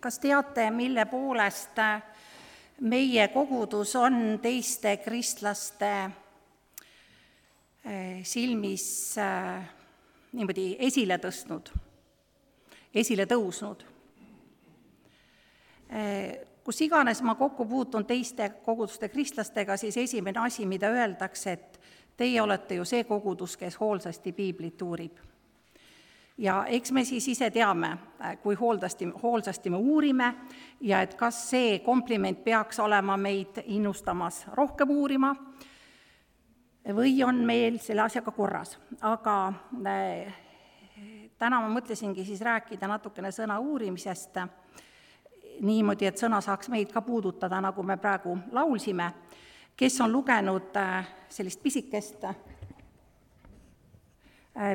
Kas teate, mille poolest meie kogudus on teiste kristlaste silmis niimoodi esile tõusnud? Kus iganes ma kokku puutun teiste koguduste kristlastega, siis esimene asi, mida öeldakse, et teie olete ju see kogudus, kes hoolsasti piiblit uurib. Ja eks me siis ise teame, kui hoolsasti me uurime ja et kas see kompliment peaks olema meid innustamas rohkem uurima või on meil selle asjaga korras. Aga täna ma mõtlesingi siis rääkida natukene sõna uurimisest niimoodi, et sõna saaks meid ka puudutada, nagu me praegu laulsime. Kes on lugenud sellist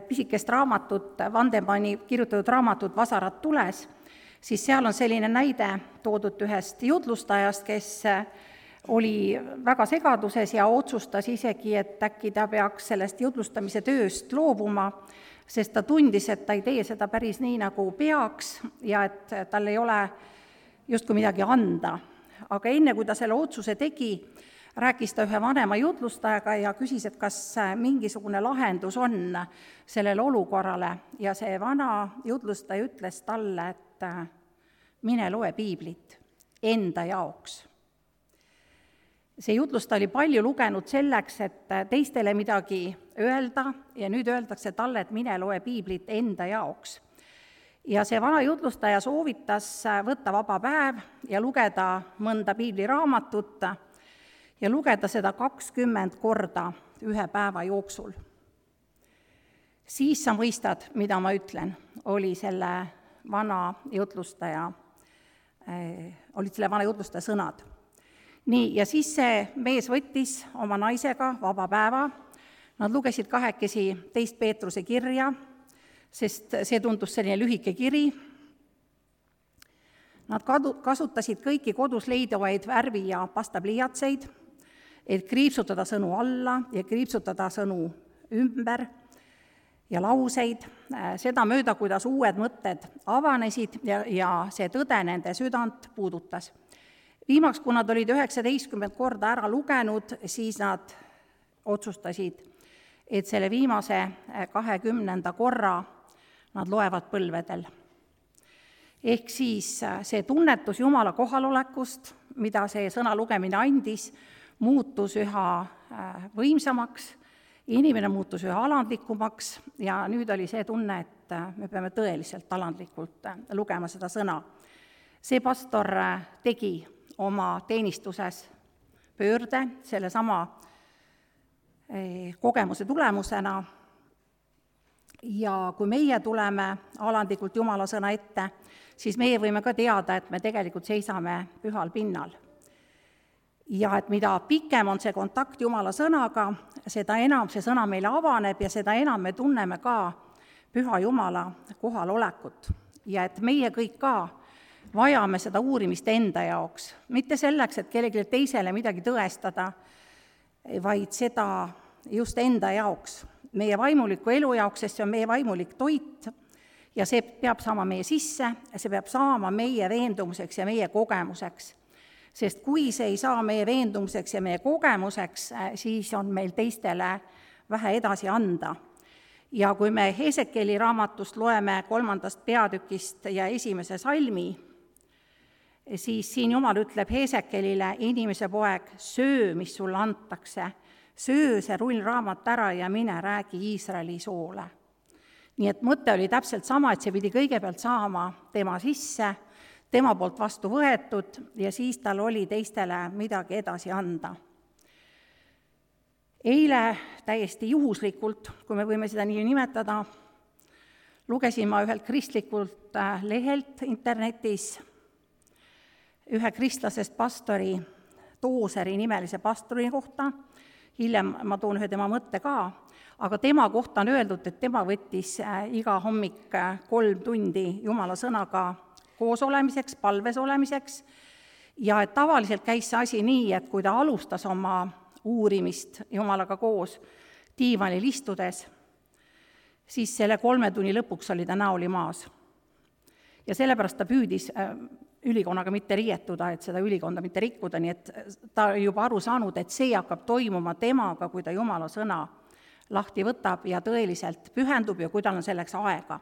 pisikest raamatut, Vandemanni kirjutatud raamatut Vasarad tules, siis seal on selline näide toodud ühest jutlustajast, kes oli väga segaduses ja otsustas isegi, et äkki ta peaks sellest jutlustamise tööst loobuma, sest ta tundis, et ta ei tee seda päris nii, nagu peaks ja et tal ei ole justkui midagi anda. Aga enne, kui ta selle otsuse tegi, rääkis ta ühe vanema jutlustajaga ja küsis, et kas mingisugune lahendus on sellele olukorrale. Ja see vana jutlustaja ütles talle, et mine loe piiblit enda jaoks. See jutlustaja oli palju lugenud selleks, et teistele midagi öelda ja nüüd öeldakse talle, et mine loe piiblit enda jaoks. Ja see vana jutlustaja soovitas võtta vaba päev ja lugeda mõnda piibliraamatut ja lugeda seda 20 korda ühe päeva jooksul. Siis sa mõistad, mida ma ütlen, olid selle vana jutlustaja sõnad. Nii, ja siis see mees võttis oma naisega vaba päeva, nad lugesid kahekesi 2. Peetruse kirja, sest see tundus selline lühike kiri. Nad kasutasid kõiki kodus leiduvaid värvi- ja pastapliiatseid, et kriipsutada sõnu alla ja kriipsutada sõnu ümber ja lauseid, seda mööda, kuidas uued mõtted avanesid ja see tõde nende südant puudutas. Viimaks, kui nad olid 19 korda ära lugenud, siis nad otsustasid, et selle viimase 20. korra nad loevad põlvedel. Ehk siis see tunnetus Jumala kohalolekust, mida see sõna lugemine andis, muutus üha võimsamaks, inimene muutus üha alandlikumaks ja nüüd oli see tunne, et me peame tõeliselt alandlikult lugema seda sõna. See pastor tegi oma teenistuses pöörde sellesama kogemuse tulemusena ja kui meie tuleme alandlikult Jumala sõna ette, siis meie võime ka teada, et me tegelikult seisame pühal pinnal. Ja et mida pikem on see kontakt Jumala sõnaga, seda enam see sõna meile avaneb ja seda enam me tunneme ka püha Jumala kohalolekut. Ja et meie kõik ka vajame seda uurimist enda jaoks. Mitte selleks, et kellelegi teisele midagi tõestada, vaid seda just enda jaoks, meie vaimuliku elu jaoks, sest see on meie vaimulik toit ja see peab saama meie sisse, see peab saama meie veendumuseks ja meie kogemuseks. Sest kui see ei saa meie veendumuseks ja meie kogemuseks, siis on meil teistele vähe edasi anda. Ja kui me Hesekeli raamatust loeme 3. peatükist ja 1. salmi, siis siin Jumal ütleb Hesekelile, inimese poeg, söö, mis sulle antakse, söö see rullraamat ära ja mine räägi Iisraeli soole. Nii et mõte oli täpselt sama, et see pidi kõigepealt saama tema sisse, tema poolt vastu võetud ja siis tal oli teistele midagi edasi anda. Eile täiesti juhuslikult, kui me võime seda nii nimetada, lugesin ma ühelt kristlikult lehelt internetis ühe kristlasest pastori, Tooseri nimelise pastori kohta, hiljem ma toon ühe tema mõtte ka, aga tema kohta on öeldud, et tema võttis iga hommik 3 tundi Jumala sõnaga koos olemiseks, palves olemiseks ja et tavaliselt käis see asi nii, et kui ta alustas oma uurimist Jumalaga koos diivanil istudes, siis selle 3 tunni lõpuks oli ta näoli maas. Ja sellepärast ta püüdis ülikonnaga mitte riietuda, et seda ülikonda mitte rikkuda, nii et ta oli juba aru saanud, et see hakkab toimuma temaga, kui ta Jumala sõna lahti võtab ja tõeliselt pühendub ja kui tal on selleks aega.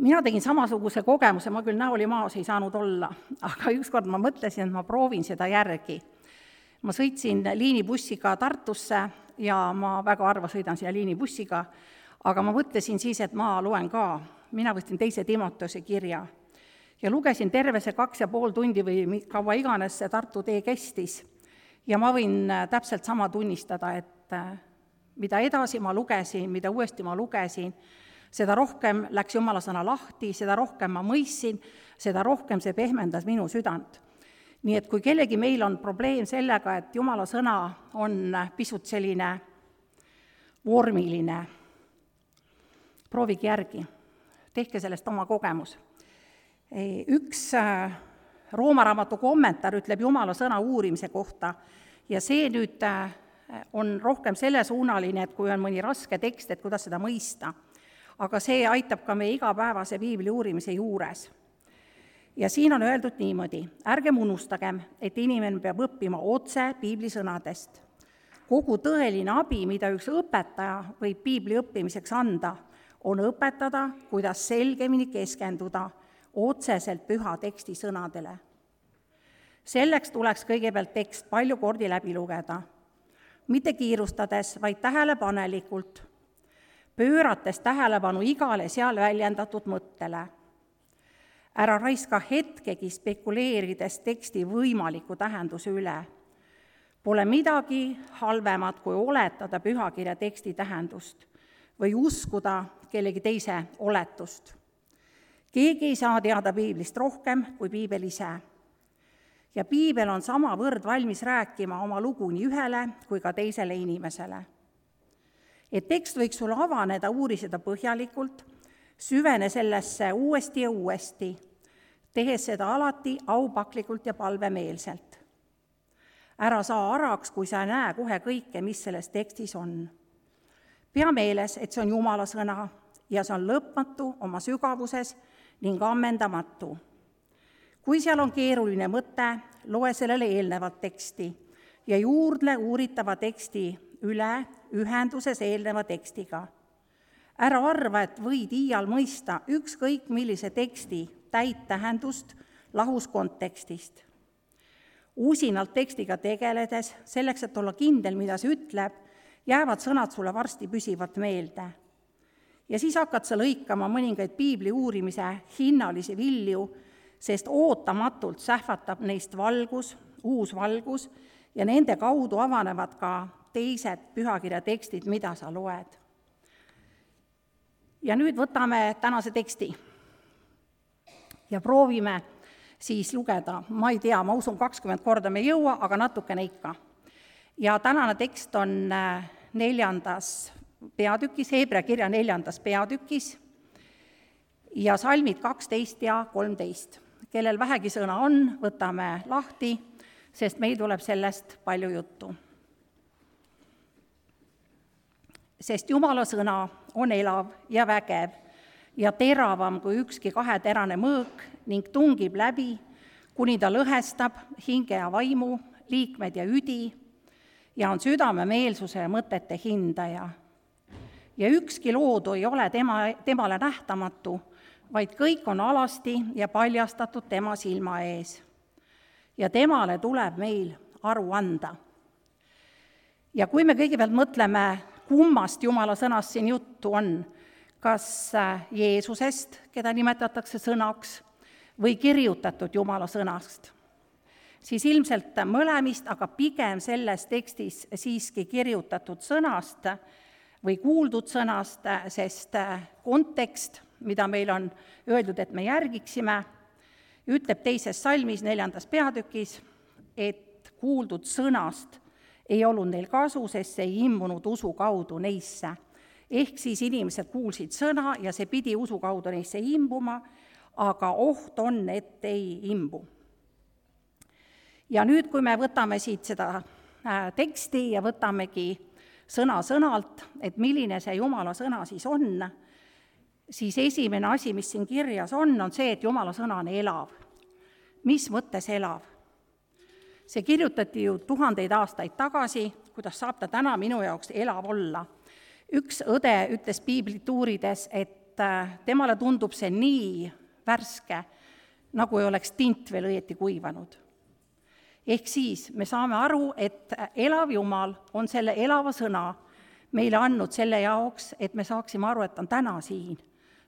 Mina tegin samasuguse kogemuse, ma küll näoli maas ei saanud olla, aga ükskord ma mõtlesin, et ma proovin seda järgi. Ma sõitsin liinibussiga Tartusse ja ma väga harva sõidan siia liinibussiga, aga ma mõtlesin siis, et ma loen ka. Mina võtsin 2. Timoteuse kirja ja lugesin terve see 2,5 tundi või kaua iganes see Tartu tee kestis. Ja ma võin täpselt sama tunnistada, et mida edasi ma lugesin, mida uuesti ma lugesin, seda rohkem läks Jumala sõna lahti, seda rohkem ma mõistsin, seda rohkem see pehmendas minu südant. Nii et kui kellegi meil on probleem sellega, et Jumala sõna on pisut selline vormiline, proovige järgi, tehke sellest oma kogemus. Üks Rooma raamatu kommentaar ütleb Jumala sõna uurimise kohta ja see nüüd on rohkem sellesuunaline, et kui on mõni raske tekst, et kuidas seda mõista. Aga see aitab ka meie igapäevase piibli uurimise juures. Ja siin on öeldud niimoodi, ärgem unustagem, et inimene peab õppima otse piibli sõnadest. Kogu tõeline abi, mida üks õpetaja võib piibli õppimiseks anda, on õpetada, kuidas selgemini keskenduda otseselt püha teksti sõnadele. Selleks tuleks kõigepealt tekst palju kordi läbi lugeda, mitte kiirustades, vaid tähelepanelikult, pöörates tähelepanu igale seal väljendatud mõttele. Ära raiska hetkegi spekuleerides teksti võimaliku tähenduse üle. Pole midagi halvemat, kui oletada pühakirja teksti tähendust või uskuda kellegi teise oletust. Keegi ei saa teada piiblist rohkem kui piibel ise. Ja piibel on samavõrd valmis rääkima oma lugu nii ühele kui ka teisele inimesele. Et tekst võiks sulle avaneda, uuri seda põhjalikult, süvene sellesse uuesti ja uuesti, tehes seda alati aupaklikult ja palvemeelselt. Ära saa araks, kui sa ei näe kohe kõike, mis selles tekstis on. Pea meeles, et see on Jumala sõna ja see on lõpmatu oma sügavuses ning ammendamatu. Kui seal on keeruline mõte, loe sellele eelnevat teksti ja juurdle uuritava teksti üle ühenduses eelneva tekstiga. Ära arva, et võid iial mõista ükskõik millise teksti täittähendust lahus kontekstist. Usinalt tekstiga tegeledes, selleks, et olla kindel, mida see ütleb, jäävad sõnad sulle varsti püsivalt meelde. Ja siis hakkad sa lõikama mõningaid piibli uurimise hinnalisi vilju, sest ootamatult sähvatab neist valgus, uus valgus, ja nende kaudu avanevad ka teised pühakirja tekstid, mida sa loed. Ja nüüd võtame tänase teksti ja proovime siis lugeda, ma ei tea, ma usun 20 korda me ei jõua, aga natukene ikka. Ja tänane tekst on 4. peatükis, Heebrea kirja 4. peatükis ja salmid 12 ja 13. Kellel vähegi sõna on, võtame lahti, sest meil tuleb sellest palju juttu. Sest Jumala sõna on elav ja vägev ja teravam kui ükski kaheterane mõõk ning tungib läbi, kuni ta lõhestab hinge ja vaimu, liikmed ja üdi ja on südame meelsuse ja mõtete hindaja. Ja ükski loodu ei ole temale nähtamatu, vaid kõik on alasti ja paljastatud tema silma ees. Ja temale tuleb meil aru anda. Ja kui me kõigepealt mõtleme, kummast Jumala sõnast siin juttu on, kas Jeesusest, keda nimetatakse sõnaks, või kirjutatud Jumala sõnast, siis ilmselt mõlemist, aga pigem selles tekstis siiski kirjutatud sõnast või kuuldud sõnast, sest kontekst, mida meil on öeldud, et me järgiksime, ütleb 2. salmis 4. peatükis, et kuuldud sõnast ei olnud neil kasu, sest see ei immunud usu kaudu neisse. Ehk siis inimesed kuulsid sõna ja see pidi usu kaudu neisse imbuma, aga oht on, et ei imbu. Ja nüüd, kui me võtame siit seda teksti ja võtamegi sõna sõnalt, et milline see Jumala sõna siis on, siis esimene asi, mis siin kirjas on see, et Jumala sõna on elav. mis mõttes elav? See kirjutati ju 1000 aastaid tagasi, kuidas saab ta täna minu jaoks elav olla. Üks õde ütles piiblit uurides, et temale tundub see nii värske, nagu ei oleks tint veel õieti kuivanud. Ehk siis me saame aru, et elav Jumal on selle elava sõna meile andnud selle jaoks, et me saaksime aru, et ta on täna siin.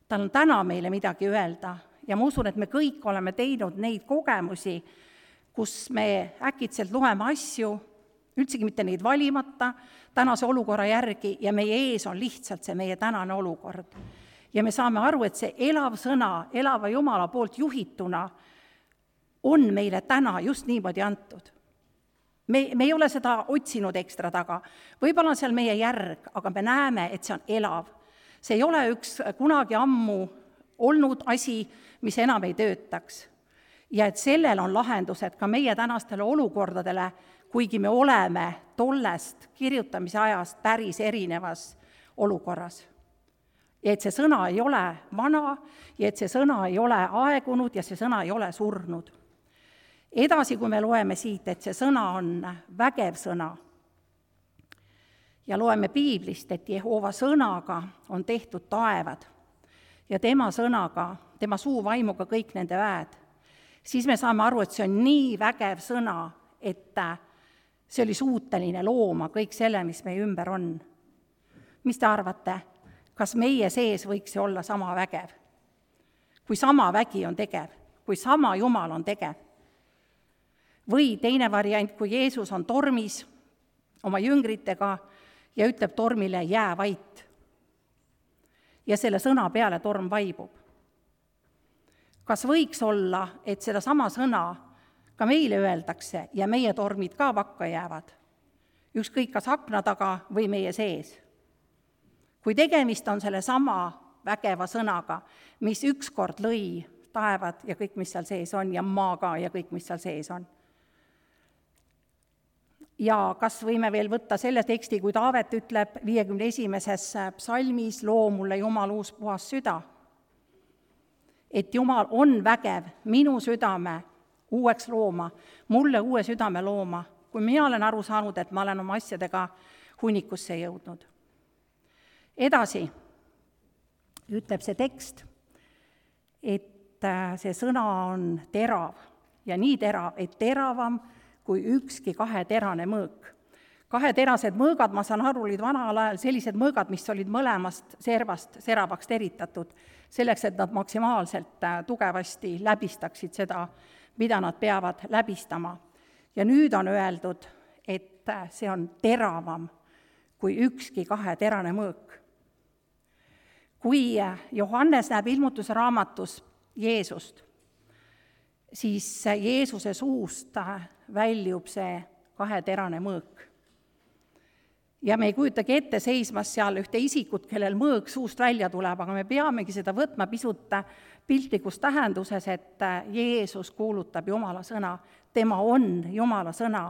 Tal on täna meile midagi öelda ja ma usun, et me kõik oleme teinud neid kogemusi, kus me äkitselt loeme asju, üldsegi mitte neid valimata, tänase olukorra järgi ja meie ees on lihtsalt see meie tänane olukord. Ja me saame aru, et see elav sõna, elava Jumala poolt juhituna on meile täna just niimoodi antud. Me ei ole seda otsinud ekstra taga. Võib-olla on seal meie järg, aga me näeme, et see on elav. See ei ole üks kunagi ammu olnud asi, mis enam ei töötaks. Ja et sellel on lahendused ka meie tänastele olukordadele, kuigi me oleme tollest kirjutamise ajast päris erinevas olukorras. Ja et see sõna ei ole vana ja et see sõna ei ole aegunud ja see sõna ei ole surnud. Edasi, kui me loeme siit, et see sõna on vägev sõna ja loeme piiblist, et Jehova sõnaga on tehtud taevad ja tema sõnaga, tema suu vaimuga kõik nende väed, siis me saame aru, et see on nii vägev sõna, et see oli suuteline looma kõik selle, mis meie ümber on. Mis te arvate, kas meie sees võiks see olla sama vägev? Kui sama vägi on tegev, kui sama Jumal on tegev. Või teine variant, kui Jeesus on tormis oma jüngritega ja ütleb tormile jää vait. Ja selle sõna peale torm vaibub. Kas võiks olla, et seda sama sõna ka meile öeldakse ja meie tormid ka vakka jäävad? Ükskõik kas akna taga või meie sees. Kui tegemist on selle sama vägeva sõnaga, mis ükskord lõi taevad ja kõik, mis seal sees on, ja maa ka ja kõik, mis seal sees on. Ja kas võime veel võtta selle teksti, kui Taavet ütleb 51. psalmis, loo mulle Jumal uus puhas süda. Et Jumal on vägev minu südame uueks looma, mulle uue südame looma, kui mina olen aru saanud, et ma olen oma asjadega hunnikusse jõudnud. Edasi ütleb see tekst, et see sõna on terav ja nii terav, et teravam kui ükski kaheterane mõõk. Kaheterased mõõgad, ma saan aru, olid vanal ajal sellised mõõgad, mis olid mõlemast servast seravaks teritatud, selleks, et nad maksimaalselt tugevasti läbistaksid seda, mida nad peavad läbistama. Ja nüüd on öeldud, et see on teravam kui ükski kaheterane mõõk. Kui Johannes näeb ilmutuse raamatus Jeesust, siis Jeesuse suust väljub see kaheterane mõõk. Ja me ei kujutagi ette seismas seal ühte isikut, kellel mõõk suust välja tuleb, aga me peamegi seda võtma pisut piltlikus tähenduses, et Jeesus kuulutab Jumala sõna. Tema on Jumala sõna,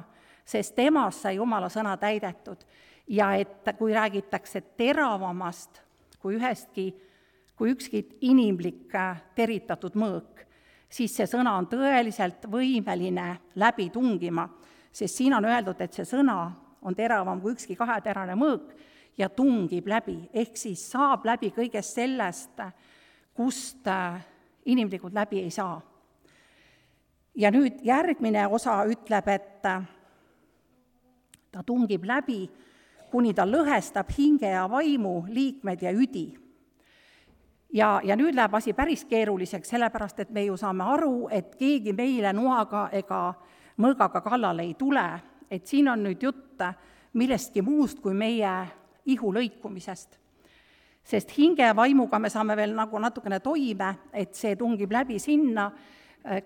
sest temast sai Jumala sõna täidetud. Ja et kui räägitakse teravamast kui ükski inimlik teritatud mõõk, siis see sõna on tõeliselt võimeline läbi tungima, sest siin on öeldud, et see sõna on teravam kui ükski kaheterane mõõk ja tungib läbi, ehk siis saab läbi kõigest sellest, kust inimlikult läbi ei saa. Ja nüüd järgmine osa ütleb, et ta tungib läbi, kuni ta lõhestab hinge ja vaimu, liikmed ja üdi. Ja nüüd läheb asi päris keeruliseks, sellepärast, et me ju saame aru, et keegi meile noaga ega mõõgaga kallale ei tule, et siin on nüüd jutt millestki muust kui meie ihu lõikumisest. Sest hinge ja vaimuga me saame veel nagu natukene toime, et see tungib läbi sinna,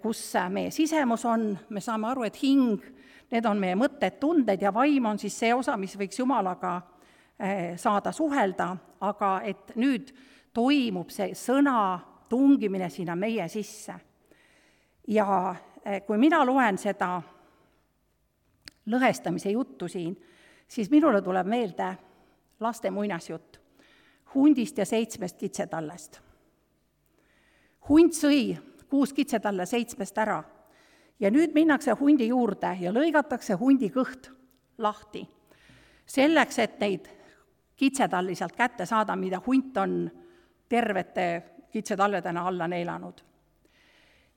kus meie sisemus on, me saame aru, et hing, need on meie mõtted, tunded ja vaim on siis see osa, mis võiks Jumalaga saada suhelda, aga et nüüd toimub see sõna tungimine sinna meie sisse. Ja kui mina loen seda lõhestamise juttu siin, siis minule tuleb meelde laste muinasjutt hundist ja 7 kitsetallest. Hunt sõi 6 kitsetalle 7 ära Ja nüüd minnakse hundi juurde ja lõigatakse hundi kõht lahti. Selleks, et neid kitsetalli sealt kätte saada, mida hunt on tervete kitsetalvedena alla neelanud.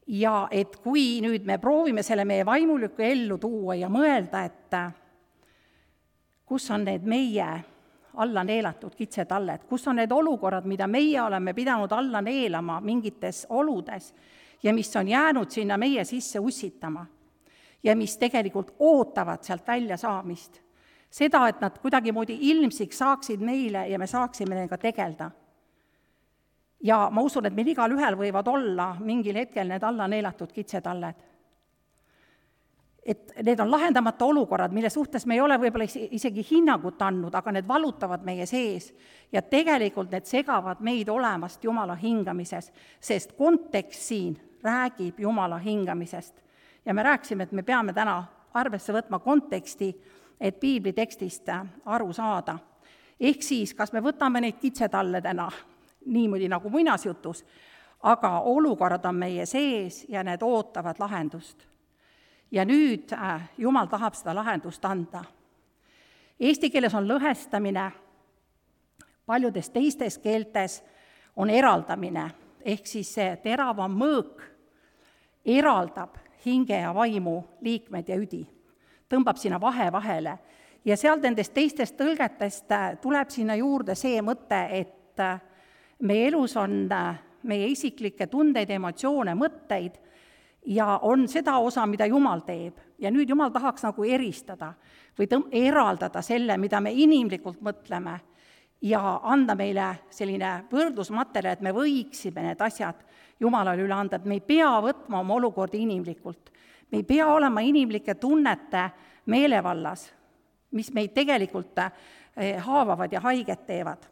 Ja et kui nüüd me proovime selle meie vaimulikku ellu tuua ja mõelda, et kus on need meie alla neelatud kitsetalled, kus on need olukorrad, mida meie oleme pidanud alla neelama mingites oludes ja mis on jäänud sinna meie sisse ussitama ja mis tegelikult ootavad sealt välja saamist. Seda, et nad kuidagimoodi ilmsiks saaksid meile ja me saaksime nendega tegelda. Ja ma usun, et meil igal ühel võivad olla mingil hetkel need alla neelatud kitsetalled. Et need on lahendamata olukorrad, mille suhtes me ei ole võib-olla isegi hinnangut andnud, aga need valutavad meie sees ja tegelikult need segavad meid olemast Jumala hingamises, sest kontekst siin räägib Jumala hingamisest. Ja me rääkisime, et me peame täna arvesse võtma konteksti, et piiblitekstist aru saada. Ehk siis, kas me võtame neid kitsetalledena niimoodi nagu muinasjutus, aga olukorrad on meie sees ja need ootavad lahendust. Ja nüüd Jumal tahab seda lahendust anda. Eesti keeles on lõhestamine, paljudes teistes keeltes on eraldamine, ehk siis see teravam mõõk eraldab hinge ja vaimu liikmed ja üdi, tõmbab sinna vahele. Ja seal nendest teistest tõlgetest tuleb sinna juurde see mõte, et meie elus on meie isiklikke tundeid, emotsioone, mõtteid, ja on seda osa, mida Jumal teeb. Ja nüüd Jumal tahaks nagu eristada või eraldada selle, mida me inimlikult mõtleme ja anda meile selline võrdlusmaterjal, et me võiksime need asjad Jumalale üle anda, et me ei pea võtma oma olukordi inimlikult. Me ei pea olema inimlike tunnete meelevallas, mis meid tegelikult haavavad ja haiget teevad.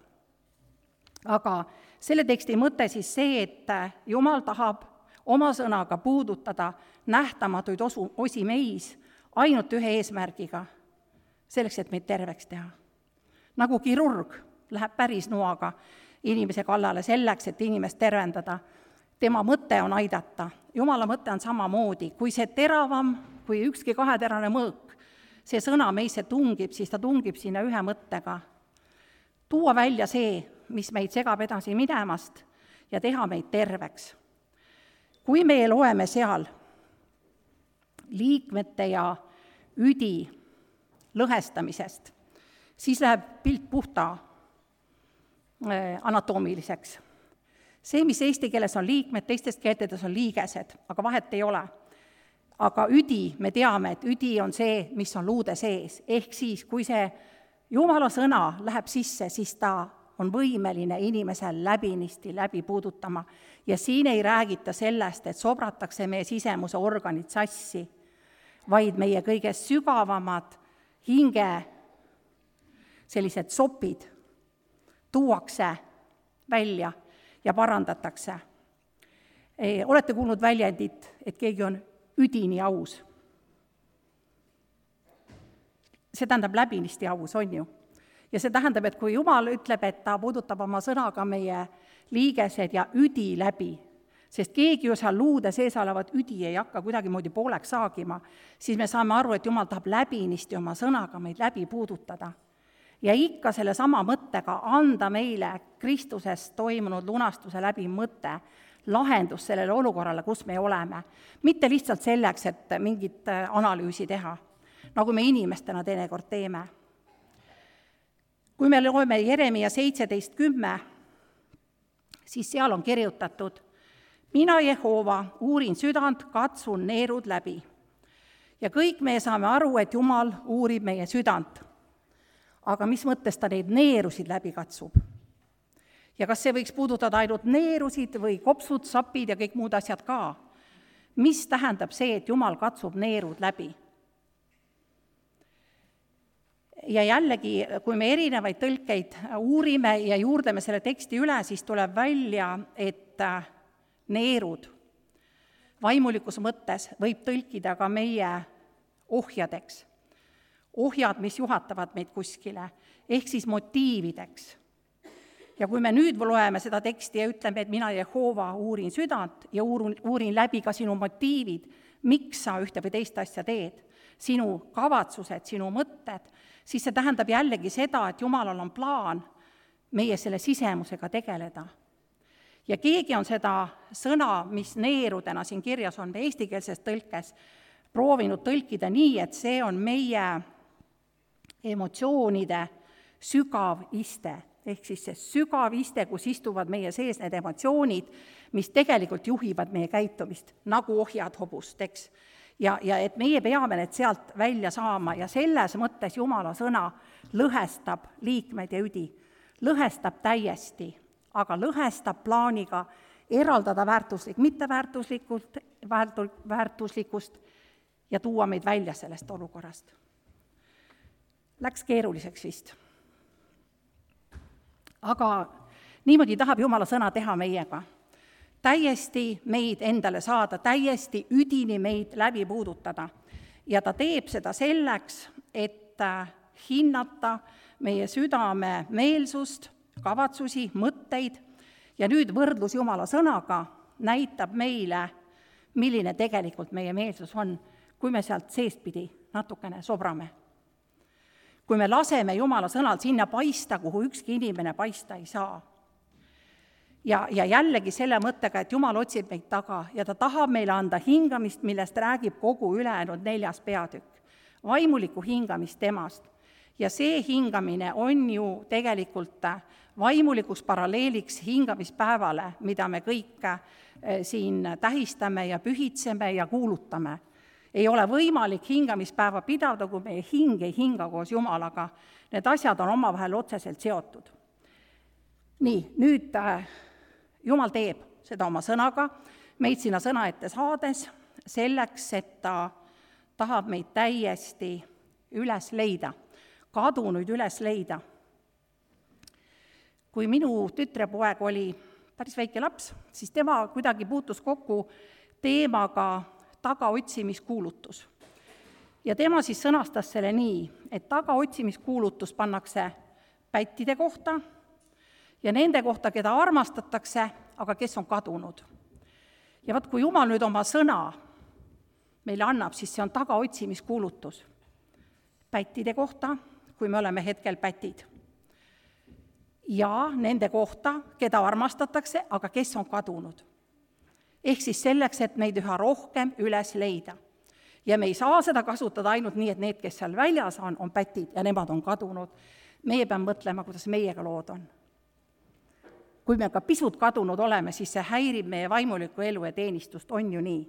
Aga selle teksti mõte siis see, et Jumal tahab oma sõnaga puudutada nähtamatuid osi meis ainult ühe eesmärgiga, selleks, et meid terveks teha. Nagu kirurg läheb päris noaga inimese kallale selleks, et inimest tervendada, tema mõte on aidata. Jumala mõte on samamoodi, kui see teravam, kui ükski kaheterane mõõk, see sõna meisse tungib, siis ta tungib sinna ühe mõttega. Tuua välja see, mis meid segab edasi minemast ja teha meid terveks. Kui me loeme seal liikmete ja üdi lõhestamisest, siis läheb pilt puhta anatoomiliseks. See, mis eesti keeles on liikmed, teistes keeltedes on liigesed, aga vahet ei ole. Aga üdi, me teame, et üdi on see, mis on luude sees. Ehk siis, kui see Jumala sõna läheb sisse, siis ta on võimeline inimesel läbinisti läbi puudutama. Ja siin ei räägita sellest, et sobratakse meie sisemuse organid sassi, vaid meie kõige sügavamad hinge sellised sopid tuuakse välja ja parandatakse. Olete kuulnud väljendit, et keegi on üdini aus? See tähendab läbinisti aus, on ju? Ja see tähendab, et kui Jumal ütleb, et ta puudutab oma sõnaga meie liigesed ja üdi läbi, sest keegi ju seal luude sees olevat üdi ei hakka kuidagimoodi pooleks saagima, siis me saame aru, et Jumal tahab läbinisti oma sõnaga meid läbi puudutada. Ja ikka selle sama mõttega anda meile Kristuses toimunud lunastuse läbi mõte, lahendus sellele olukorrale, kus me oleme. Mitte lihtsalt selleks, et mingit analüüsi teha, nagu me inimestena teinekord teeme. Kui me loeme Jeremia 17:10, siis seal on kirjutatud: mina, Jehova, uurin südant, katsun neerud läbi. Ja kõik me saame aru, et Jumal uurib meie südant. Aga mis mõttes ta neid neerusid läbi katsub? Ja kas see võiks puudutada ainult neerusid või kopsud, sapid ja kõik muud asjad ka? Mis tähendab see, et Jumal katsub neerud läbi? Ja jällegi, kui me erinevaid tõlkeid uurime ja juurdleme selle teksti üle, siis tuleb välja, et neerud vaimulikus mõttes võib tõlkida ka meie ohjadeks. Ohjad, mis juhatavad meid kuskile, ehk siis motiivideks. Ja kui me nüüd loeme seda teksti ja ütleme, et mina, Jehova, uurin südant ja uurin läbi ka sinu motiivid, miks sa ühte või teist asja teed, sinu kavatsused, sinu mõtted, siis see tähendab jällegi seda, et Jumalal on plaan meie selle sisemusega tegeleda. Ja keegi on seda sõna, mis neerudena siin kirjas on eestikeelses tõlkes, proovinud tõlkida nii, et see on meie emotsioonide sügav iste. Ehk siis see sügav iste, kus istuvad meie sees need emotsioonid, mis tegelikult juhivad meie käitumist, nagu ohjad hobust, eks. Ja et meie peame need sealt välja saama ja selles mõttes Jumala sõna lõhestab liikmed ja üdi. Lõhestab täiesti, aga lõhestab plaaniga eraldada väärtuslikust ja tuua meid välja sellest olukorrast. Läks keeruliseks vist. Aga niimoodi tahab Jumala sõna teha meiega. Täiesti meid endale saada, täiesti üdini meid läbi puudutada. Ja ta teeb seda selleks, et hinnata meie südame meelsust, kavatsusi, mõtteid ja nüüd võrdlus Jumala sõnaga näitab meile, milline tegelikult meie meelsus on, kui me sealt seestpidi natukene sobrame. Kui me laseme Jumala sõnal sinna paista, kuhu ükski inimene paista ei saa. Ja jällegi selle mõttega, et Jumal otsib meid taga ja ta tahab meile anda hingamist, millest räägib kogu ülejäänud 4. peatükk. Vaimulikku hingamist temast. Ja see hingamine on ju tegelikult vaimulikuks paralleeliks hingamispäevale, mida me kõik siin tähistame ja pühitseme ja kuulutame. Ei ole võimalik hingamispäeva pidada, kui meie hing ei hinga koos Jumalaga. Need asjad on omavahel otseselt seotud. Nii, nüüd Jumal teeb seda oma sõnaga, meid sinna sõna ette saades, selleks, et ta tahab meid täiesti üles leida, kadunuid üles leida. Kui minu tütrepoeg oli päris väike laps, siis tema kuidagi puutus kokku teemaga tagaotsimiskuulutus. Ja tema siis sõnastas selle nii, et tagaotsimiskuulutus pannakse pättide kohta ja nende kohta, keda armastatakse, aga kes on kadunud. Ja vaat, kui Jumal nüüd oma sõna meile annab, siis see on tagaotsimiskuulutus pättide kohta, kui me oleme hetkel pätid. Ja nende kohta, keda armastatakse, aga kes on kadunud. Ehk siis selleks, et meid üha rohkem üles leida. Ja me ei saa seda kasutada ainult nii, et need, kes seal väljas on pätid ja nemad on kadunud. Meie peame mõtlema, kuidas meiega lood on. Kui me ka pisut kadunud oleme, siis see häirib meie vaimulikku elu ja teenistust, on ju nii.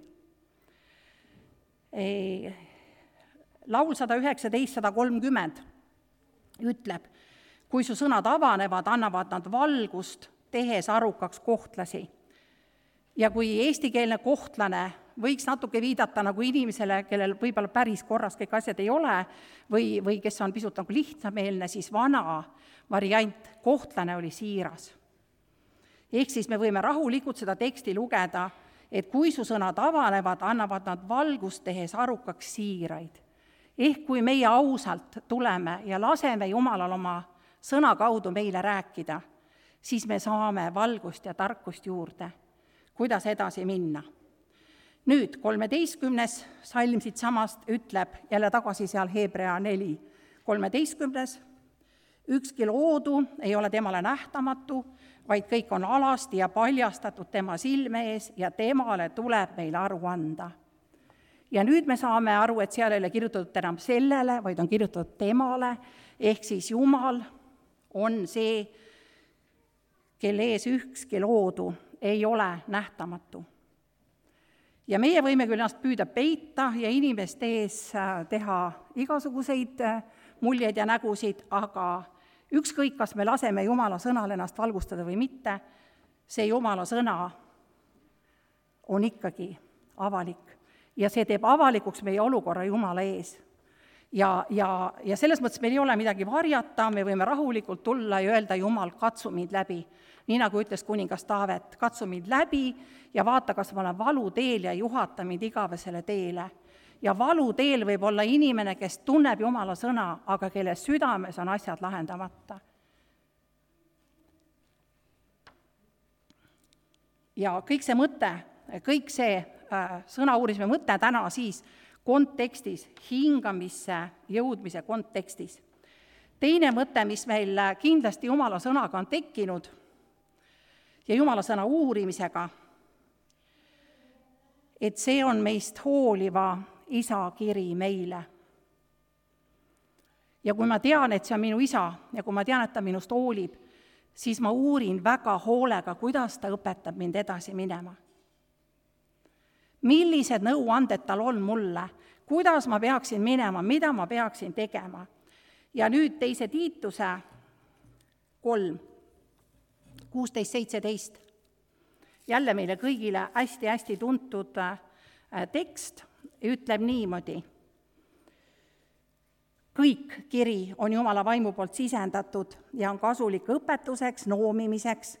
Laul 119-130 ütleb, kui su sõnad avanevad, annavad nad valgust, tehes arukaks kohtlasi. Ja kui eestikeelne kohtlane võiks natuke viidata nagu inimesele, kellel võib-olla päris korras kõik asjad ei ole, või kes on pisut nagu lihtsameelne, siis vana variant, kohtlane oli siiras. Ehk siis me võime rahulikult seda teksti lugeda, et kui su sõnad avanevad, annavad nad valgust, tehes arukaks siiraid. Ehk kui meie ausalt tuleme ja laseme Jumalal oma sõna kaudu meile rääkida, siis me saame valgust ja tarkust juurde. Kuidas edasi minna? Nüüd 13. salm siit samast ütleb, jälle tagasi seal Hebrea 4, 13. Ükski loodu ei ole temale nähtamatu, vaid kõik on alasti ja paljastatud tema silme ees ja temale tuleb meil aru anda. Ja nüüd me saame aru, et seal ei ole kirjutatud enam sellele, vaid on kirjutatud temale, ehk siis Jumal on see, kelle ees ükski loodu ei ole nähtamatu. Ja meie võime küll ennast püüda peita ja inimeste ees teha igasuguseid muljeid ja nägusid, aga ükskõik, kas me laseme Jumala sõnal ennast valgustada või mitte, see Jumala sõna on ikkagi avalik. Ja see teeb avalikuks meie olukorra Jumala ees. Ja selles mõttes meil ei ole midagi varjata, me võime rahulikult tulla ja öelda, Jumal, katsu mind läbi. Nii nagu ütles kuningas Taavet, katsu mind läbi ja vaata, kas ma olen valuteel ja juhata mind igavesele teele. Ja valuteel võib olla inimene, kes tunneb Jumala sõna, aga kelle südames on asjad lahendamata. Ja kõik see mõte, kõik see sõnauurisme mõte täna siis kontekstis, hingamisse jõudmise kontekstis. Teine mõte, mis meil kindlasti Jumala sõnaga on tekkinud ja Jumala sõna uurimisega, et see on meist hooliva isa kiri meile. Ja kui ma tean, et see on minu isa ja kui ma tean, et ta minust hoolib, siis ma uurin väga hoolega, kuidas ta õpetab mind edasi minema. Millised nõuanded tal on mulle, kuidas ma peaksin minema, mida ma peaksin tegema. Ja nüüd teise Tiituse 3, 16-17. Jälle meile kõigile hästi-hästi tuntud tekst ütleb niimoodi. Kõik kiri on Jumala vaimu poolt sisendatud ja on kasulik õpetuseks, noomimiseks,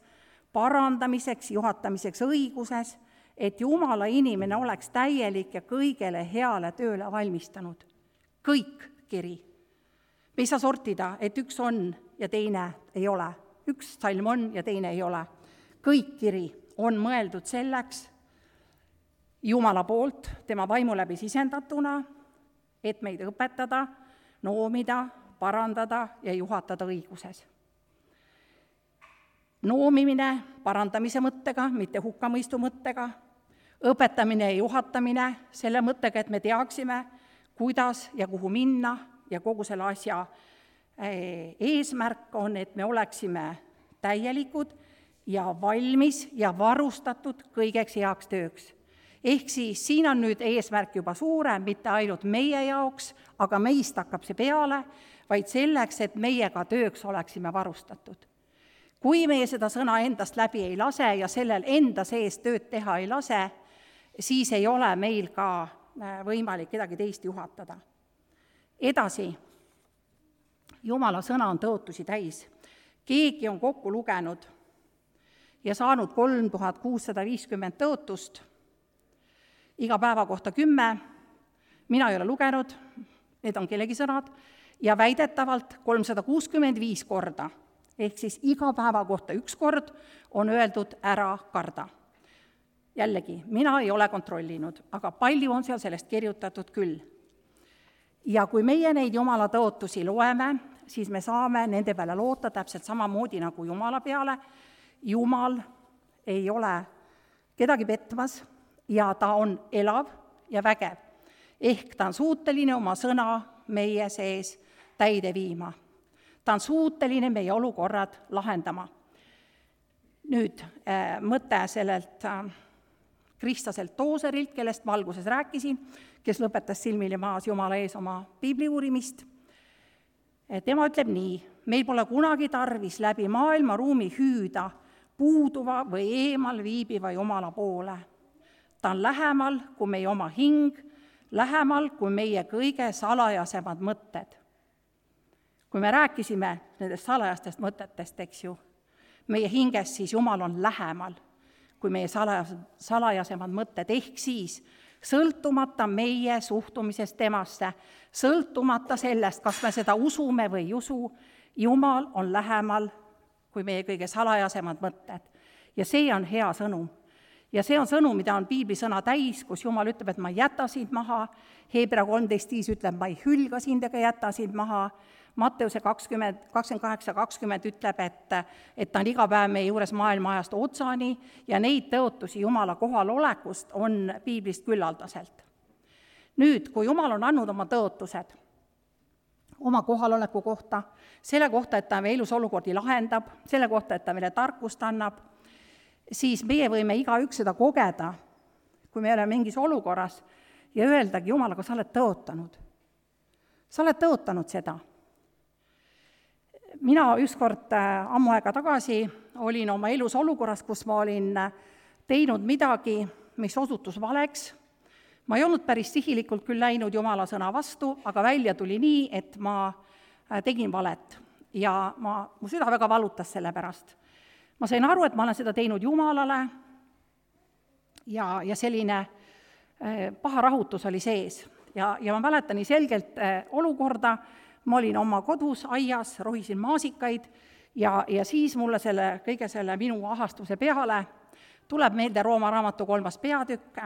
parandamiseks, juhatamiseks õiguses, et Jumala inimene oleks täielik ja kõigele heale tööle valmistanud. Kõik kiri. Me ei saa sortida, et üks on ja teine ei ole. Üks salm on ja teine ei ole. Kõik kiri on mõeldud selleks Jumala poolt, tema vaimu läbi sisendatuna, et meid õpetada, noomida, parandada ja juhatada õiguses. Noomimine parandamise mõttega, mitte hukkamõistu mõttega, õpetamine ja juhatamine selle mõttega, et me teaksime, kuidas ja kuhu minna ja kogu selle asja eesmärk on, et me oleksime täielikud ja valmis ja varustatud kõigeks heaks tööks. Ehk siis siin on nüüd eesmärk juba suurem, mitte ainult meie jaoks, aga meist hakkab see peale, vaid selleks, et meiega tööks oleksime varustatud. Kui meie seda sõna endast läbi ei lase ja sellel enda sees tööd teha ei lase, siis ei ole meil ka võimalik kedagi teist juhatada. Edasi, Jumala sõna on tõotusi täis. Keegi on kokku lugenud ja saanud 3650 tõotust, iga päeva kohta 10, mina ei ole lugenud, need on kellegi sõnad, ja väidetavalt 365 korda, ehk siis iga päeva kohta 1 kord on öeldud ära karda. Jällegi, mina ei ole kontrollinud, aga palju on seal sellest kirjutatud küll. Ja kui meie neid Jumala tõotusi loeme, siis me saame nende peale loota täpselt samamoodi nagu Jumala peale. Jumal ei ole kedagi petmas ja ta on elav ja vägev. Ehk ta on suuteline oma sõna meie sees täide viima. Ta on suuteline meie olukorrad lahendama. Nüüd mõte sellelt Kristaselt Tooserilt, kellest ma alguses rääkisin, kes lõpetas silmili maas Jumala ees oma piibli uurimist. Tema ütleb nii, meil pole kunagi tarvis läbi maailma ruumi hüüda puuduva või eemal viibiva Jumala poole. Ta on lähemal kui meie oma hing, lähemal kui meie kõige salajasemad mõtted. Kui me rääkisime nendest salajastest mõtetest, eks ju, meie hinges, siis Jumal on lähemal kui meie salajasemad mõtted, ehk siis sõltumata meie suhtumisest temasse, sõltumata sellest, kas me seda usume või ei usu, Jumal on lähemal kui meie kõige salajasemad mõtted. Ja see on hea sõnum. Ja see on sõnum, mida on piiblisõna täis, kus Jumal ütleb, et ma ei jäta sind maha, Hebra 13.5 ütleb, ma ei hülga sind ega jäta sind maha, Matteuse 28.20 ütleb, et ta on iga päev meie juures maailma ajast otsani ja neid tõotusi Jumala kohalolekust on piiblist küllaldaselt. Nüüd, kui Jumal on andnud oma tõotused oma kohaloleku kohta, selle kohta, et ta meie elus olukordi lahendab, selle kohta, et ta meile tarkust annab, siis meie võime igaüks seda kogeda, kui me oleme mingis olukorras ja öeldagi, Jumal, aga sa oled tõotanud. Sa oled tõotanud seda. Mina ükskord ammu aega tagasi olin oma elus olukorras, kus ma olin teinud midagi, mis osutus valeks. Ma ei olnud päris sihilikult küll läinud Jumala sõna vastu, aga välja tuli nii, et ma tegin valet ja mu süda väga valutas selle pärast. Ma sain aru, et ma olen seda teinud Jumalale ja selline paha rahutus oli sees. Ja ma mäletan nii selgelt olukorda, ma olin oma kodus aias, rohisin maasikaid ja siis mulle kõige selle minu ahastuse peale tuleb meelde Rooma raamatu 3. peatükk,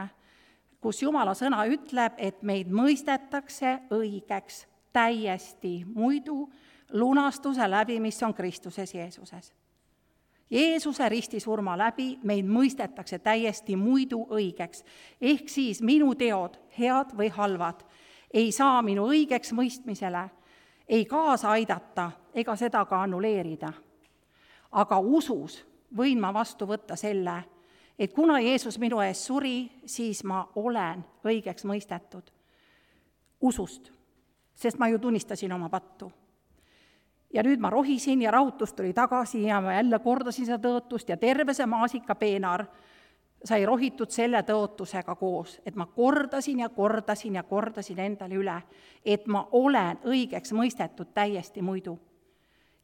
kus Jumala sõna ütleb, et meid mõistetakse õigeks täiesti muidu lunastuse läbi, mis on Kristuses Jeesuses. Jeesuse ristisurma läbi meid mõistetakse täiesti muidu õigeks. Ehk siis minu teod, head või halvad, ei saa minu õigeks mõistmisele, ei kaasa aidata ega seda ka annuleerida. Aga usus võin ma vastu võtta selle, et kuna Jeesus minu ees suri, siis ma olen õigeks mõistetud. Usust, sest ma ju tunnistasin oma pattu. Ja nüüd ma rohisin ja rahutus tuli tagasi ja ma jälle kordasin seda tõotust ja terve see maasikapeenar sai rohitud selle tõotusega koos, et ma kordasin ja kordasin ja kordasin endale üle, et ma olen õigeks mõistetud täiesti muidu.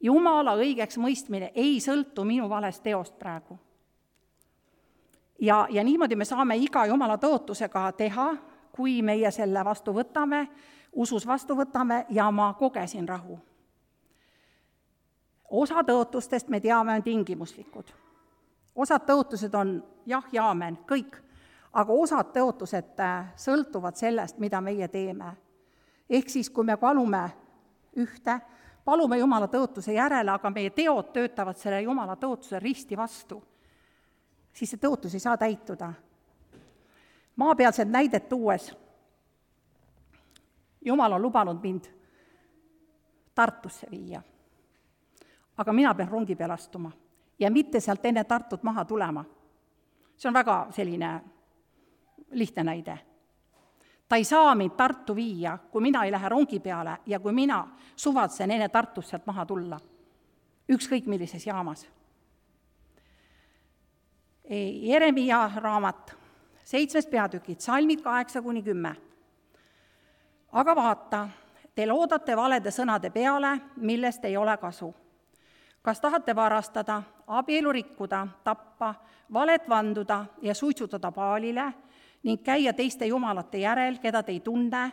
Jumala õigeks mõistmine ei sõltu minu valest teost praegu. Ja niimoodi me saame iga Jumala tõotusega teha, kui meie selle vastu võtame, usus vastu võtame ja ma kogesin rahu. Osa tõotustest me teame on tingimuslikud. Osad tõotused on jah ja aamen, kõik, aga osad tõotused sõltuvad sellest, mida meie teeme. Ehk siis, kui me palume Jumala tõotuse järele, aga meie teod töötavad selle Jumala tõotuse risti vastu, siis see tõotus ei saa täituda. Maapealsed näidet tuues, Jumal on lubanud mind Tartusse viia. Aga mina pean rongi peal astuma ja mitte sealt enne Tartut maha tulema. See on väga selline lihtne näide. Ta ei saa mind Tartu viia, kui mina ei lähe rongi peale ja kui mina suvatsen enne Tartust sealt maha tulla. Ükskõik millises jaamas. Jeremia raamat, 7. peatükid, salmid 8-10. Aga vaata, te loodate valede sõnade peale, millest ei ole kasu. Kas tahate varastada, abielu rikkuda, tappa, valet vanduda ja suitsutada Baalile ning käia teiste jumalate järel, keda te ei tunne,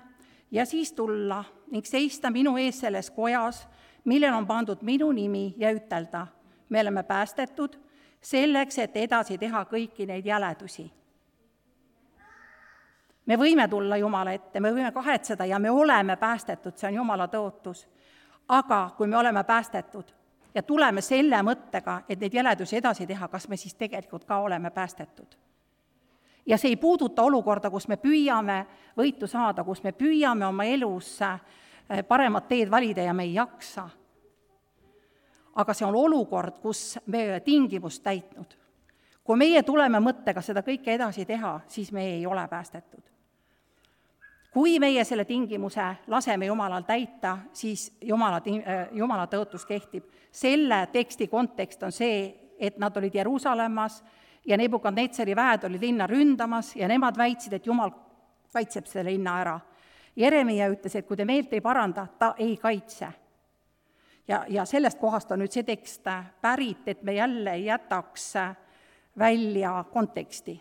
ja siis tulla ning seista minu ees selles kojas, millel on pandud minu nimi ja ütelda, me oleme päästetud selleks, et edasi teha kõiki neid jäledusi. Me võime tulla Jumala ette, me võime kahetseda ja me oleme päästetud, see on Jumala tõotus. Aga kui me oleme päästetud, ja tuleme selle mõttega, et neid jäledusi edasi teha, kas me siis tegelikult ka oleme päästetud. Ja see ei puuduta olukorda, kus me püüame võitu saada, kus me püüame oma elus paremat teed valida ja me ei jaksa. Aga see on olukord, kus me ei ole tingimust täitnud. Kui meie tuleme mõttega seda kõike edasi teha, siis me ei ole päästetud. Kui meie selle tingimuse laseme Jumalal täita, siis Jumala tõotus kehtib. Selle teksti kontekst on see, et nad olid Jeruusalemmas ja Nebukadnetsari väed olid linna ründamas ja nemad väitsid, et Jumal kaitseb selle linna ära. Jeremia ütles, et kui te meelt ei paranda, ta ei kaitse. Ja sellest kohast on nüüd see tekst pärit, et me jälle ei jätaks välja konteksti.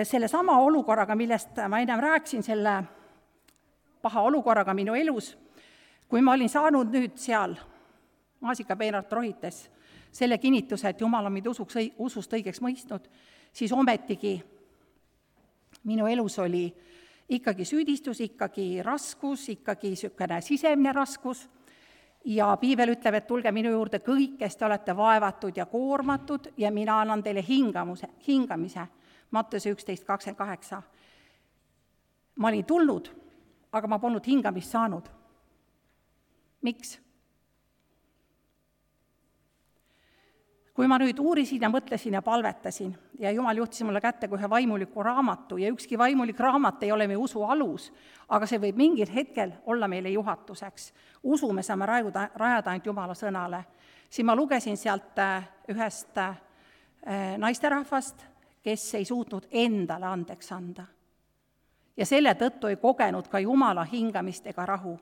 Selle sama olukorraga, millest ma ennem rääkisin, selle paha olukorraga minu elus, kui ma olin saanud nüüd seal maasikapeenart rohites selle kinnituse, et Jumal on mind usust õigeks mõistnud, siis ometigi minu elus oli ikkagi süüdistus, ikkagi raskus, ikkagi niisugune sisemine raskus ja piibel ütleb, et tulge minu juurde kõik, kes te olete vaevatud ja koormatud ja mina annan teile hingamise. Mattuse 11:28. Ma olin tulnud, aga ma polnud hingamist saanud. Miks? Kui ma nüüd uurisin ja mõtlesin ja palvetasin ja Jumal juhtis mulle kätte kui ühe vaimuliku raamatu ja ükski vaimulik raamat ei ole meie usu alus, aga see võib mingil hetkel olla meile juhatuseks. Usu me saame rajada ainult Jumala sõnale. Siin ma lugesin sealt ühest naisterahvast, kes ei suutnud endale andeks anda. Ja selle tõttu ei kogenud ka Jumala hingamist ega rahu.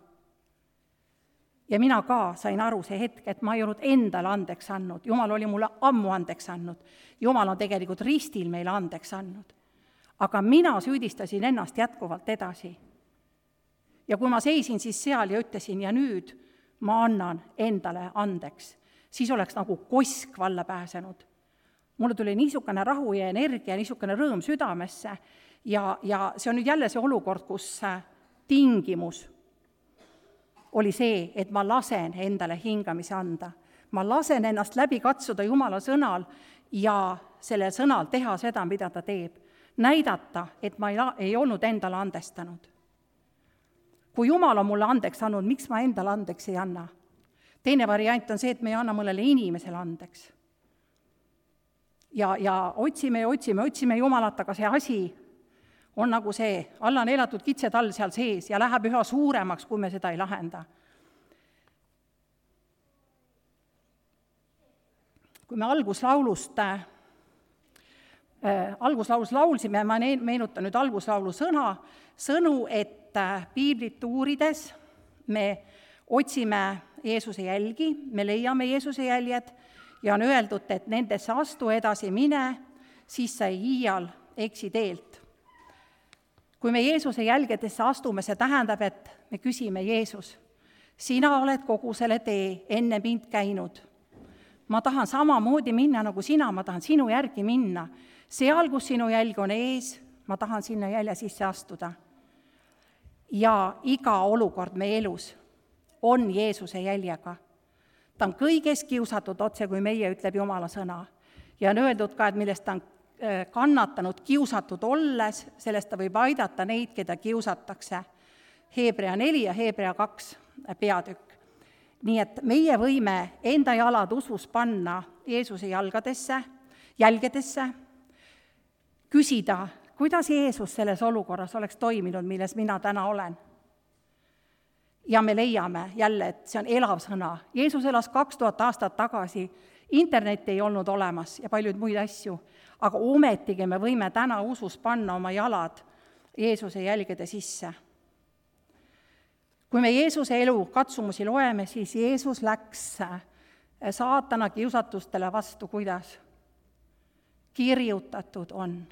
Ja mina ka sain aru see hetk, et ma ei olnud endale andeks andnud. Jumal oli mulle ammu andeks andnud. Jumal on tegelikult ristil meile andeks andnud. Aga mina süüdistasin ennast jätkuvalt edasi. Ja kui ma seisin siis seal ja ütlesin, ja nüüd ma annan endale andeks, siis oleks nagu kosk valla pääsenud. Mulle tuli niisugune rahu ja energia, niisugune rõõm südamesse ja see on nüüd jälle see olukord, kus tingimus oli see, et ma lasen endale hingamise anda. Ma lasen ennast läbi katsuda Jumala sõnal ja sellel sõnal teha seda, mida ta teeb. Näidata, et ma ei olnud endale andestanud. Kui Jumal on mulle andeks andnud, miks ma endale andeks ei anna? Teine variant on see, et me ei anna mõnele inimesele andeks. Ja otsime Jumalat, aga see asi on nagu see, alla on elatud kitsetall seal sees ja läheb üha suuremaks, kui me seda ei lahenda. Kui me alguslaulus laulsime, ma meenutan nüüd alguslaulu sõnu, et piiblit uurides me otsime Jeesuse jälgi, me leiame Jeesuse jäljed ja on öeldud, et nendesse astu edasi mine, siis sa ei iial eksi teelt. Kui me Jeesuse jälgedesse astume, see tähendab, et me küsime Jeesus, sina oled kogu selle tee enne mind käinud. Ma tahan samamoodi minna nagu sina, ma tahan sinu järgi minna. Seal, kus sinu jälg on ees, ma tahan sinna jälje sisse astuda. Ja iga olukord meie elus on Jeesuse jäljega. Ta on kõiges kiusatud otse, kui meie ütleb Jumala sõna. Ja on öeldud ka, et millest ta on kannatanud kiusatud olles, sellest ta võib aidata neid, keda kiusatakse. Hebrea 4 ja Hebrea 2 peatükk. Nii et meie võime enda jalad usus panna Jeesuse jälgedesse, küsida, kuidas Jeesus selles olukorras oleks toiminud, milles mina täna olen. Ja me leiame jälle, et see on elav sõna. Jeesus elas 2000 aastat tagasi, internet ei olnud olemas ja paljud muid asju, aga ometigi me võime täna usus panna oma jalad Jeesuse jälgede sisse. Kui me Jeesuse elu katsumusi loeme, siis Jeesus läks saatana kiusatustele vastu, kuidas? Kirjutatud on.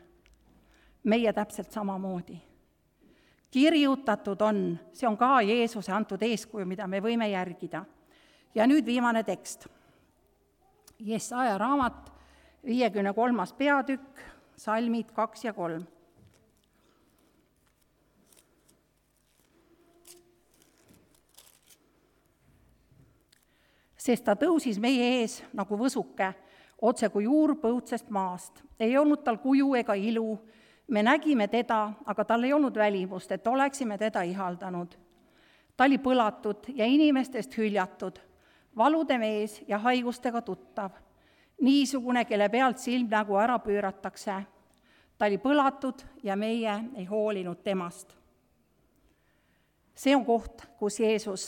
Meie täpselt samamoodi. Kirjutatud on, see on ka Jeesuse antud eeskuju, mida me võime järgida. Ja nüüd viimane tekst. Jesaja raamat, 53. peatükk, salmid 2 ja 3. Sest ta tõusis meie ees nagu võsuke, otse kui juur põutsest maast. Ei olnud tal kuju ega ilu, me nägime teda, aga tal ei olnud välimust, et oleksime teda ihaldanud. Ta oli põlatud ja inimestest hüljatud, valude mees ja haigustega tuttav, niisugune, kelle pealt silmnägu ära pööratakse. Ta oli põlatud ja meie ei hoolinud temast. See on koht, kus Jeesus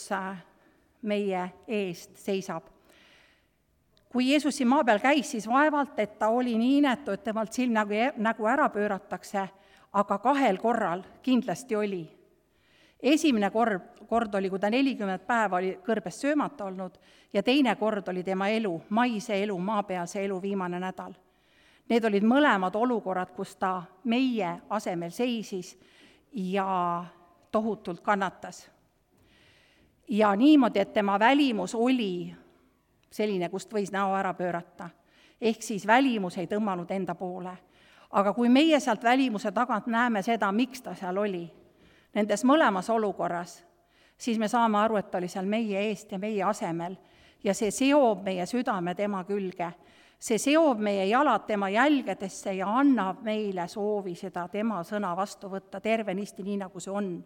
meie eest seisab. Kui Jeesus siin maa peal käis, siis vaevalt, et ta oli nii inetu, et temalt silmnägu ära pööratakse, aga 2 korral kindlasti oli. Esimene kord oli, kui ta 40 päeva oli kõrbes söömata olnud ja teine kord oli tema elu, maise elu, maapealse elu viimane nädal. Need olid mõlemad olukorrad, kus ta meie asemel seisis ja tohutult kannatas. Ja niimoodi, et tema välimus oli selline, kust võis näo ära pöörata. Ehk siis välimus ei tõmmanud enda poole. Aga kui meie sealt välimuse tagant näeme seda, miks ta seal oli, nendes mõlemas olukorras, siis me saame aru, et ta oli seal meie eest ja meie asemel. Ja see seob meie südame tema külge. See seob meie jalad tema jälgedesse ja annab meile soovi seda tema sõna vastu võtta tervenisti nii, nagu see on.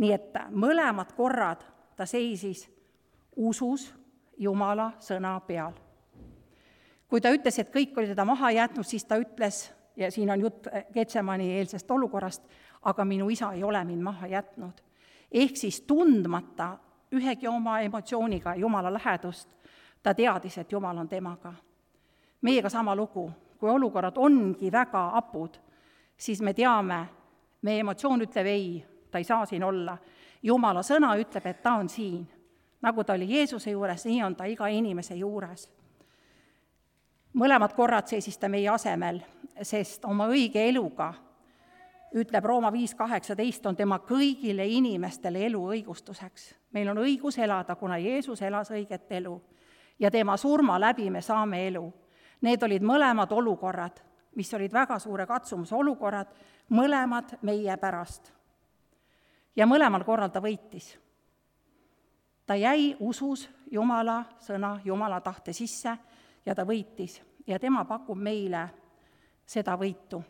Nii et mõlemad korrad ta seisis usus Jumala sõna peal. Kui ta ütles, et kõik oli teda maha jätnud, siis ta ütles, ja siin on jutt Getsemani eelsest olukorrast, aga minu isa ei ole mind maha jätnud. Ehk siis tundmata ühegi oma emotsiooniga Jumala lähedust, ta teadis, et Jumal on temaga. Meiega sama lugu, kui olukorrad ongi väga apud, siis me teame, meie emotsioon ütleb ei, ta ei saa siin olla. Jumala sõna ütleb, et ta on siin. Nagu ta oli Jeesuse juures, nii on ta iga inimese juures. Mõlemad korrad seisis ta meie asemel, sest oma õige eluga, ütleb Rooma 5.18, on tema kõigile inimestele elu õigustuseks. Meil on õigus elada, kuna Jeesus elas õiget elu ja tema surma läbi me saame elu. Need olid mõlemad olukorrad, mis olid väga suure katsumuse olukorrad, mõlemad meie pärast. Ja mõlemal korral ta võitis. Ta jäi usus Jumala sõna, Jumala tahte sisse ja ta võitis. Ja tema pakub meile seda võitu.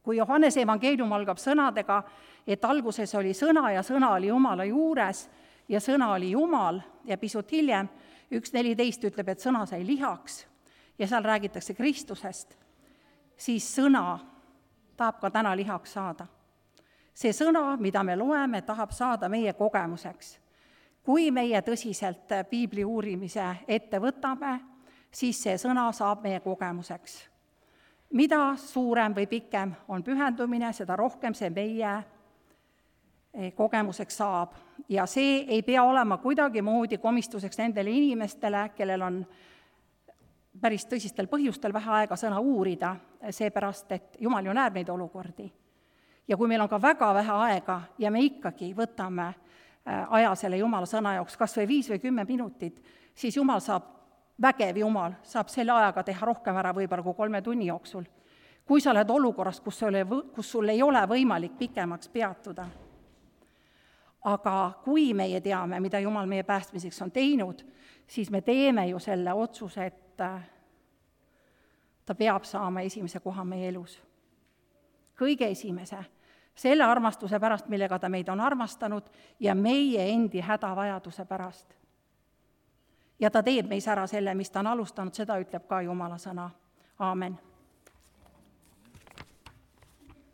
Kui Johannese evangeelium algab sõnadega, et alguses oli sõna ja sõna oli Jumala juures ja sõna oli Jumal ja pisut hiljem 1.14 ütleb, et sõna sai lihaks ja seal räägitakse Kristusest, siis sõna tahab ka täna lihaks saada. See sõna, mida me loeme, tahab saada meie kogemuseks. Kui meie tõsiselt piibli uurimise ette võtame, siis see sõna saab meie kogemuseks. Mida suurem või pikem on pühendumine, seda rohkem see meie kogemuseks saab. Ja see ei pea olema kuidagimoodi komistuseks nendele inimestele, kellel on päris tõsistel põhjustel vähe aega sõna uurida, seepärast, et Jumal ju näeb neid olukordi. Ja kui meil on ka väga vähe aega ja me ikkagi võtame aja selle Jumala sõna jaoks, kas või 5 või 10 minutit, siis Jumal saab, vägev Jumal saab selle ajaga teha rohkem ära võib-olla kui 3 tunni jooksul. Kui sa oled olukorras, kus sul ei ole võimalik pikemaks peatuda. Aga kui meie teame, mida Jumal meie päästmiseks on teinud, siis me teeme ju selle otsuse, et ta peab saama esimese koha meie elus. Kõige esimese, selle armastuse pärast, millega ta meid on armastanud ja meie endi hädavajaduse pärast. Ja ta teeb meis ära selle, mis ta on alustanud, seda ütleb ka Jumala sõna. Aamen.